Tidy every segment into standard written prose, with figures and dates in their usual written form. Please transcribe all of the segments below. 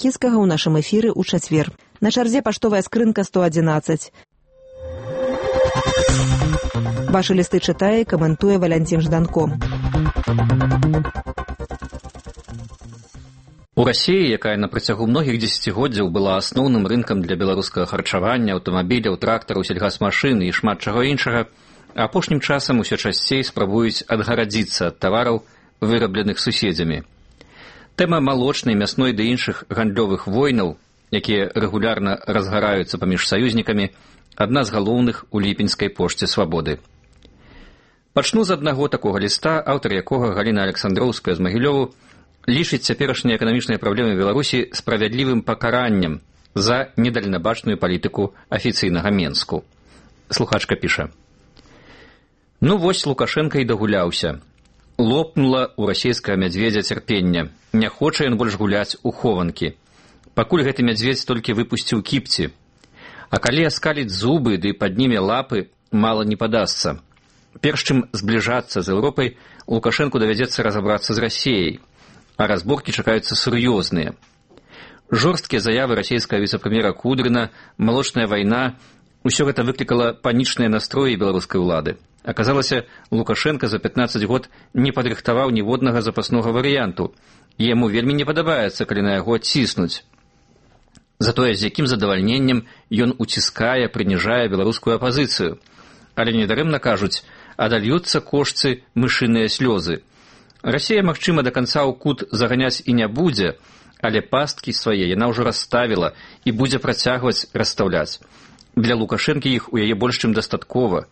Ракіцкага ў нашым эфіры ў чацвер. На чарзе паштовая скрынка 111. Вашы лісты чытае і каментуе Валянцін Жданко. У Расіі, якая на працягу многіх дзесяцігоддзяў была асноўным рынкам для беларускага харчавання, аўтамабіляў, трактараў, сельгасмашын і шмат чаго іншага, апошнім часам усё часцей спрабуюць адгарадзіцца ад тавараў, вырабленых суседзямі. Тэма малочнай, мясной ды іншых гандлёвых войнаў, якія рэгулярна разгараюцца паміж саюзнікамі, адна з галоўных у ліпеньскай пошце свабоды. Пачну з аднаго такога ліста, аўтар якога Галіна Александроўская з Магілёву лічыць цяперашнія эканамічныя праблемы Беларусі справядлівым пакараннем за недальнабачную палітыку афіцыйнага Менску. Слухачка піша: «Ну вось Лукашенка і дагуляўся. Лопнула у расійскага мядзведзя цярпення. Не хоча ён больш гуляць у хованкі. Пакуль гэты мядзведзь толькі выпусціў кіпці. А калі аскаліць зубы ды падніме лапы, мала не падасца. Перш чым збліжацца з Еўропай, Лукашэнку давядзецца разабрацца з Расіяй, а разборкі чакаюцца сур'ёзныя. Жорсткія заявы расійскага віцэ-прэм'ера Кудрына, малочная вайна — усё гэта выклікала панічныя настроі беларускай улады. Аказалася, Лукашенка за 15 год не падрыхтаваў ніводнага запаснога варыянту, і яму вельмі не падабаецца, калі на яго ціснуць. Затое з якім задавальненнем ён уціскае, прыніжае беларускую апазіцыю. Але недарэмна кажуць, адальюцца кошцы мышыныя слёзы. Расія, магчыма, да канца ў кут заганяць і не будзе, але пасткі свае яна ўжо расставіла і будзе працягваць расстаўляць. Для Лукашэнкі іх у яе больш чым дастаткова.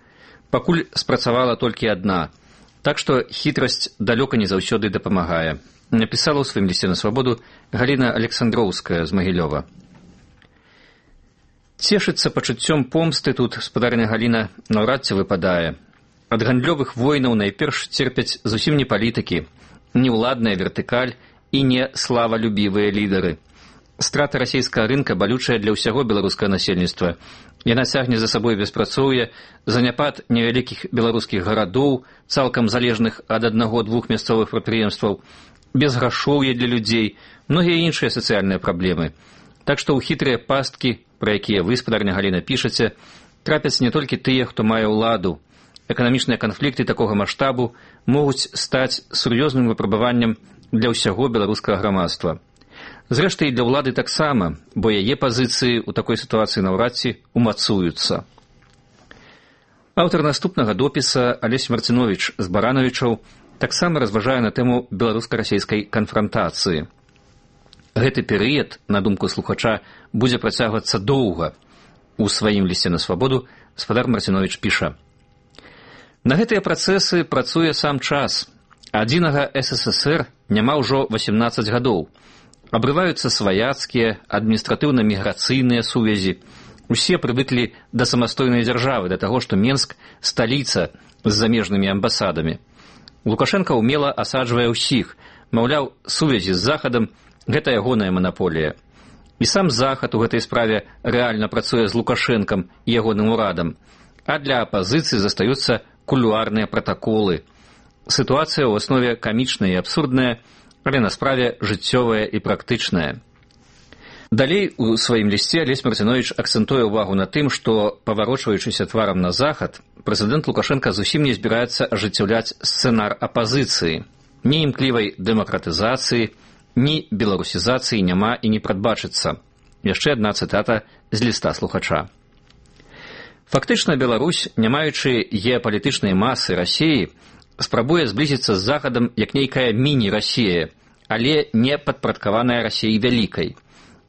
Пакуль спрацавала толькі адна. Так што хітрасць далёка не заўсёды дапамагае. Напісала ў сваім лісце на свабоду Галіна Александроўская з Магілёва. Цешыцца пачуццём помсты тут спадарня Галіна наўрад ці выпадае. Ад гандлёвых войнаў найперш церпяць зусім не палітыкі, не ўладная вертыкаль і не славалюбівыя лідары. Страта расійскага рынка балючая для ўсяго беларускага насельніцтва. Яна цягне за сабой беспрацоўе, заняпад невялікіх беларускіх гарадоў, цалкам залежных ад аднаго-двух мясцовых прадпрыемстваў, безграшоўе для людзей, многія іншыя сацыяльныя праблемы. Так што ў хітрыя пасткі, пра якія вы, спадарня Галіна, пішаце, трапяць не толькі тыя, хто мае ўладу. Эканамічныя канфлікты такога маштабу могуць стаць сур'ёзным выпрабаваннем для ўсяго беларускага грамадства. Зрэшты, і для ўлады таксама, бо яе пазіцыі ў такой сітуацыі наўрад ці умацуюцца. Аўтар наступнага допіса Алесь Марціновіч з Баранавічаў таксама разважае на тэму беларуска-расійскай канфрантацыі. Гэты перыяд, на думку слухача, будзе працягвацца доўга. У сваім лісце на свабоду спадар Марціновіч піша: «На гэтыя працэсы працуе сам час. Адзінага СССР няма ўжо 18 гадоў. Абрываюцца сваяцкія, адміністратыўна-міграцыйныя сувязі. Усе прывыклі да самастойнай дзяржавы, да таго, што Менск — сталіца з замежнымі амбасадамі. Лукашенка ўмела асаджвае ўсіх, маўляў, сувязі з Захадам — гэта ягоная манаполія. І сам Захад у гэтай справе рэальна працуе з Лукашэнкам і ягоным урадам, а для апазіцыі застаюцца кулуарныя пратаколы. Сітуацыя ў аснове камічная і абсурдная, але на справе жыццёвая і практычная». Далей у сваім лісце Алесь Марціновіч акцэнтуе ўвагу на тым, што, паварочваючыся тварам на захад, прэзідэнт Лукашенка зусім не збіраецца ажыццяўляць сцэнар апазіцыі. Ні імклівай дэмакратызацыі, ні беларусізацыі няма і не прадбачыцца. Яшчэ адна цытата з ліста слухача. Фактычна Беларусь, не маючы геапалітычнай масы Расіі, спрабуе зблізіцца з Захадам як нейкая міні-Расія, але не падпарадкаваная Расіяй вялікай.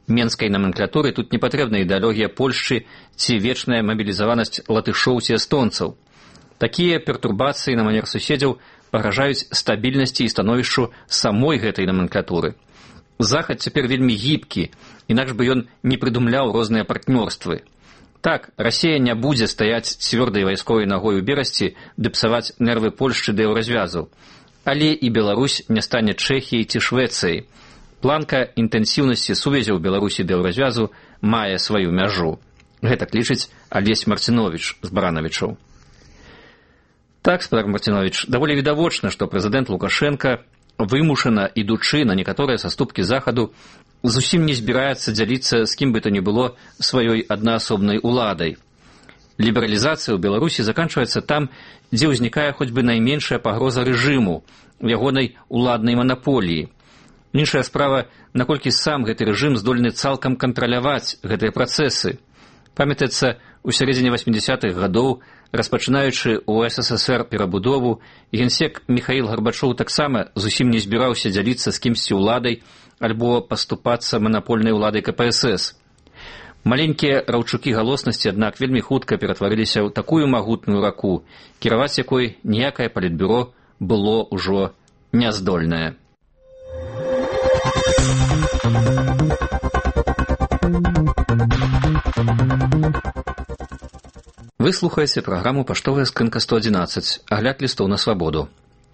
Менскай наменклатуры тут не патрэбна ідэалогія Польшчы ці вечная мабілізаванасць латышоў ці эстонцаў. Такія пертурбацыі на манер суседзяў пагражаюць стабільнасці і становішчу самой гэтай наменклатуры. Захад цяпер вельмі гібкі, інакш бы ён не прыдумляў розныя партнёрствы. Так, Расія не будзе стаяць цвёрдай вайсковай нагой у берасці ды псаваць нервы Польшчы да еўразвязу. Але і Беларусь не стане Чэхіяй ці Швецыяй. Планка інтэнсіўнасці сувязяў Беларусі да еўразвязу мае сваю мяжу. Гэтак лічыць Алесь Марціновіч з Баранавічаў. Так, спадар Марціновіч, даволі відавочна, што прэзідэнт Лукашенка, вымушана ідучы на некаторыя саступкі Захаду, зусім не збіраецца дзяліцца з кім бы то ни было сваёй аднаасобнай уладай. Лібералізацыя ў Беларусі заканчваецца там, дзе ўзнікае хоць бы найменшая пагроза рэжыму, ягонай уладнай манаполіі. Іншая справа, наколькі сам гэты рэжым здольны цалкам кантраляваць гэтыя працэсы. Памятаецца, у сярэдзіне 80-х гадоў, распачынаючы ў СССР перабудову, генсек Міхаіл Гарбачоў таксама зусім не збіраўся дзяліцца з кімсьці ўладай альбо паступацца манапольнай уладай КПСС. Маленькія раўчукі галоснасці, аднак, вельмі хутка ператварыліся ў такую магутную раку, кіраваць якой ніякае палітбюро было ўжо няздольнае. Вы слухаеце праграму «Паштовая скрынка 111», агляд лістоў на свабоду.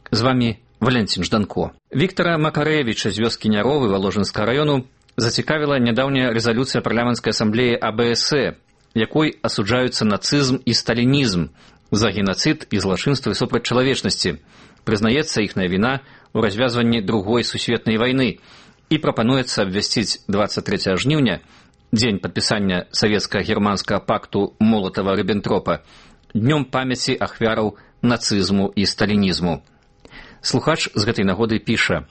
З вамі Валянцін Жданко. Віктара Макарэвіча з вёскі Няровы Валожынскага раёну зацікавіла нядаўняя рэзалюцыя парламенцкай асамблеі АБСЭ, якой асуджаюцца нацызм і сталінізм за генацыд і злачынствы супраць чалавечнасці. Прызнаецца іхная віна ў развязванні Другой сусветнай вайны і прапануецца абвясціць 23 жніўня, дзень падпісання савецка-германскага пакту Молатава-Ріббентропа, днём памяці ахвяраў нацызму і сталінізму. Слухач з гэтай нагоды піша: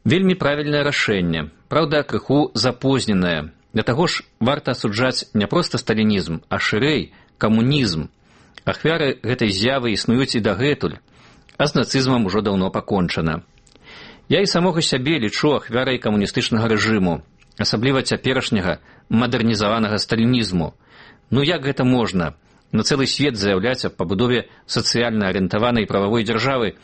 «Вельмі правільнае рашэнне, праўда, крыху запозненае. Для таго ж варта асуджаць не проста сталінізм, а шырэй камунізм. Ахвяры гэтай з'явы існуюць і дагэтуль, а з нацызмам ужо даўно пакончана. Я і самога сябе лічу ахвярай камуністычнага рэжыму, асабліва цяперашняга мадэрнізаванага сталінізму. Ну як гэта можна? На цэлы свет заяўляць аб пабудове сацыяльна арыентаванай прававой дзяржавы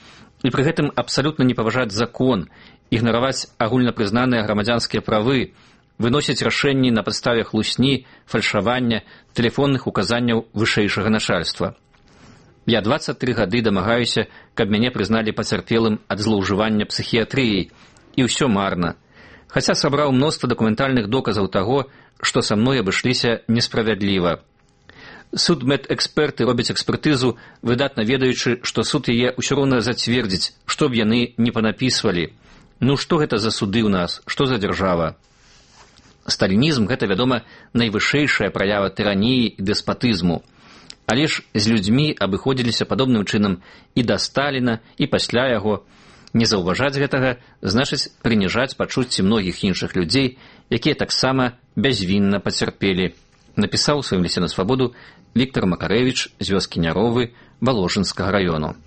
і пры гэтым абсалютна не паважаць закон, ігнараваць агульнапрызнаныя грамадзянскія правы, выносіць рашэнні на падставе хлусні, фальшавання, тэлефонных указанняў вышэйшага начальства. Я 23 гады дамагаюся, каб мяне прызналі пацярпелым ад злоўжывання псіхіятрыяй, і ўсё марна. Хаця сабраў мноства дакументальных доказаў таго, што са мной абышліся несправядліва. Судмедэксперты робяць экспертызу, выдатна ведаючы, што суд яе ўсё роўна зацвердзіць, што б яны не панапісвалі. Ну што гэта за суды ў нас, што за дзяржава? Сталінізм – гэта, вядома, найвышэйшая праява тыраніі і дэспатызму. Але ж з людзьмі абыходзіліся падобным чынам і да Сталіна, і пасля яго. Не заўважаць гэтага значыць прыніжаць пачуцці многіх іншых людзей, якія таксама бязвінна пацярпелі. Напісаў у сваім лісце на свабоду Віктар Макарэвіч з вёскі Няровы Валожынскага раёну.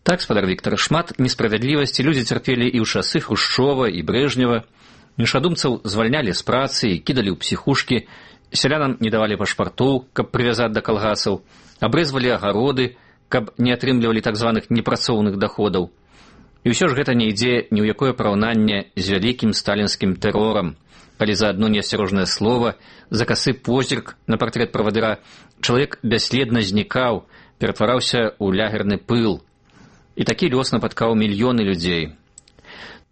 Так, спадар Віктар, шмат несправядлівасці людзі цярпелі і ў часы Хрушчова і Брэжнева. Іншадумцаў звальнялі з працы і кідалі ў псіхушкі, сялянам не давалі пашпартоў, каб прывязаць да калгасаў, абрэзвалі агароды, каб не атрымлівалі так званых непрацоўных даходаў. І ўсё ж гэта не ідзе ні ў якое параўнанне з вялікім сталінскім тэрорам, калі за адно неасцярожнае слова, за касы позірк на партрэт правадыра чалавек бясследна знікаў, ператвараўся ў лягерны пыл. І такі лёс напаткаў мільёны людзей.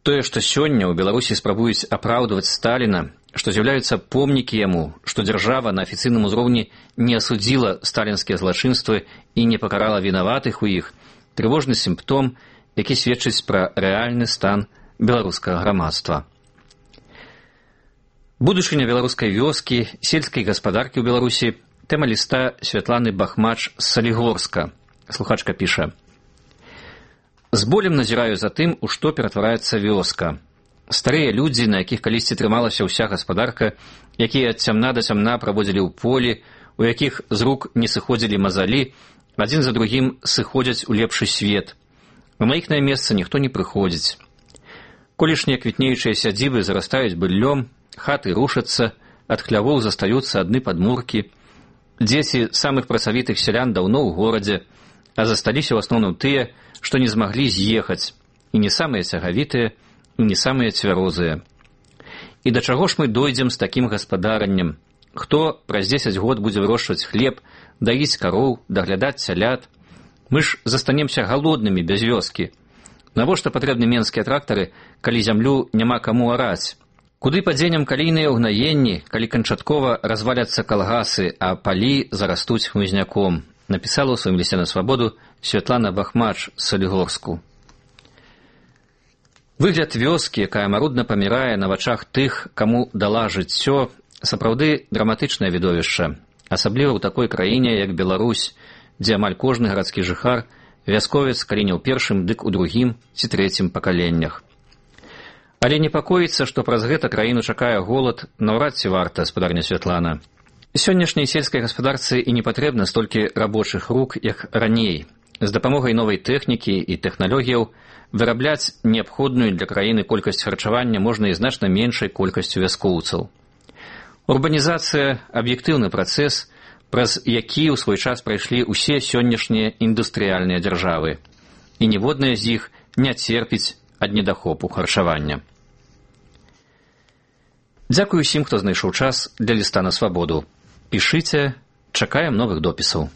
Тое, што сёння ў Беларусі спрабуюць апраўдваць Сталіна, што з'яўляюцца помнікі яму, што дзяржава на афіцыйным узроўні не асудзіла сталінскія злачынствы і не пакарала вінаватых у іх, трывожны сімптом, які сведчыць пра рэальны стан беларускага грамадства. Будучыня беларускай вёскі, сельскай гаспадаркі ў Беларусі – тэма ліста Святланы Бахмач з Салігорска. Слухачка піша: «З болем назіраю за тым, у што ператвараецца вёска. Старыя людзі, на якіх калісьці трымалася ўся гаспадарка, якія ад цямна да цямна праводзілі ў полі, у якіх з рук не сыходзілі мазалі, адзін за другім сыходзяць у лепшы свет. На іхнае месца ніхто не прыходзіць. Колішнія квітнеючыя сядзібы зарастаюць быллём, хаты рушацца, ад хлявоў застаюцца адны падмуркі. Дзеці самых працавітых сялян даўно ў горадзе, а засталіся ў асноўным тыя, што не змаглі з'ехаць, і не самыя цягавітыя, і не самыя цвярозыя. І да чаго ж мы дойдзем з такім гаспадараннем? Хто праз 10 год будзе вырошчваць хлеб, даіць кароў, даглядаць цялят? Мы ж застанемся галоднымі без вёскі. Навошта патрэбны менскія трактары, калі зямлю няма каму араць? Куды падзенем калійныя ўгнаенні, калі канчаткова разваляцца калгасы, а палі зарастуць хмызняком? Напісала ў сваім лісце на свабоду Святлана Бахмач з Салігорску. Выгляд вёскі, якая марудна памірае на вачах тых, каму дала жыццё, сапраўды драматычнае відовішча, асабліва ў такой краіне, як Беларусь, дзе амаль кожны гарадскі жыхар вясковец, калі не ў першым, дык у другім ці трэцім пакаленнях. Але непакоіцца, што праз гэта краіну чакае голад, наўрад ці варта, спадарня Святлана. Сённяшняй сельскай гаспадарцы і не патрэбна столькі рабочых рук, як раней. З дапамогай новай тэхнікі і тэхналогіяў вырабляць неабходную для краіны колькасць харчавання можна і значна меншай колькасцю вяскоўцаў. Урбанізацыя – аб'ектыўны працэс, праз які ў свой час прайшлі ўсе сённяшнія індустрыяльныя дзяржавы. І ніводная з іх не церпіць ад недахопу харчавання. Дзякую усім, хто знайшоў час для ліста на свабоду. Пішыце, чакаем новых допісаў.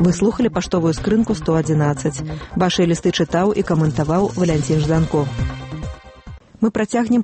Вы слухали паштовую скрынку 111. Вашыя лісты чытаў і каментаваў Валянцін Жданков. Мы працягнем